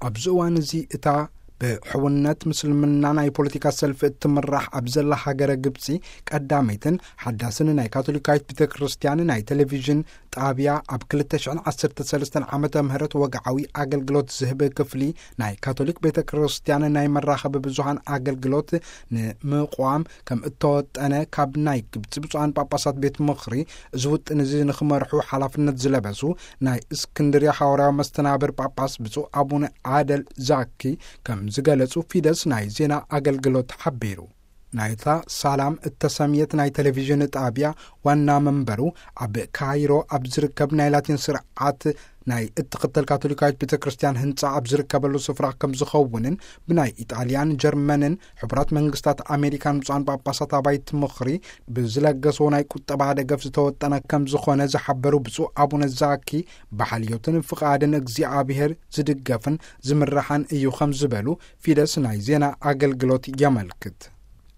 ኣብዚ እዋን እዚ እታ ብሕውነት ምስልምና ናይ ፖለቲካ ሰልፊ እትምራሕ ኣብ ዘላ ሃገረ ግብጺ፣ ቀዳመይትን ሓዳስን ናይ ካቶሊካዊት ቤተ ክርስቲያን ናይ ቴሌቪዥን ጣብያ፣ ኣብ ክልተ ሽሕን ዓሰርተ ሰለስተን ዓመተ ምህረት ወግዓዊ ኣገልግሎት ዝህብ ክፍሊ ናይ ካቶሊክ ቤተ ክርስቲያን ናይ መራኸቢ ብዙሃን ኣገልግሎት ንምቋም ከም እተወጠነ ካብ ናይ ግብጺ ብፁዓን ጳጳሳት ቤት ምኽሪ እዚ ውጥን እዚ ንኽመርሑ ሓላፍነት ዝለበሱ ናይ እስክንድርያ ሃዋርያዊ መስተናብር ጳጳስ ብፁዕ ኣቡነ ኣደል ዛኪ ከም ዝገለጹ ፊደስ ናይ ዜና ኣገልግሎት ሓቢሩ። ናይታ ሳላም እተሰምየት ናይ ቴሌቪዥን ጣብያ ዋና መንበሩ ኣብ ካይሮ ኣብ ዝርከብ ናይ ላቲን ስርዓት ናይ እትኽተል ካቶሊካዊት ቤተ ክርስቲያን ህንጻ ኣብ ዝርከበሉ ስፍራ ከም ዝኸውንን ብናይ ኢጣልያን፣ ጀርመንን ሕቡራት መንግስታት ኣሜሪካን ብፁዓን ጳጳሳት ኣባይቲ ምኽሪ ብዝለገስዎ ናይ ቁጠባ ደገፍ ዝተወጠነ ከም ዝኾነ ዝሓበሩ ብፁዕ ኣቡነ ዛኪ፣ ብሓልዮትን ፍቓድን እግዚኣብሔር ዝድገፍን ዝምራሕን እዩ ከም ዝበሉ ፊደስ ናይ ዜና ኣገልግሎት የመልክት።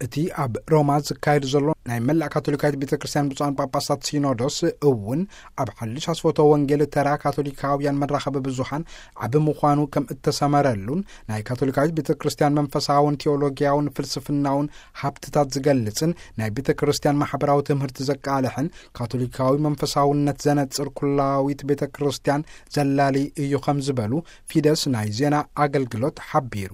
እቲ ኣብ ሮማ ዝካየድ ዘሎ ናይ መላእ ካቶሊካዊት ቤተ ክርስቲያን ብፁዓን ጳጳሳት ሲኖዶስ እውን ኣብ ሓድሽ ኣስፈቶ ወንጌል ተራ ካቶሊካውያን መራኸቢ ብዙሃን ዓቢ ምዃኑ ከም እተሰመረሉን ናይ ካቶሊካዊት ቤተ ክርስቲያን መንፈሳውን ቴዎሎጊያውን ፍልስፍናውን ሃብትታት ዝገልጽን ናይ ቤተ ክርስቲያን ማሕበራዊ ትምህርቲ ዘቃልሕን ካቶሊካዊ መንፈሳውነት ዘነጽር ኩላዊት ቤተ ክርስቲያን ዘላሊ እዩ ከም ዝበሉ ፊደስ ናይ ዜና ኣገልግሎት ሓቢሩ።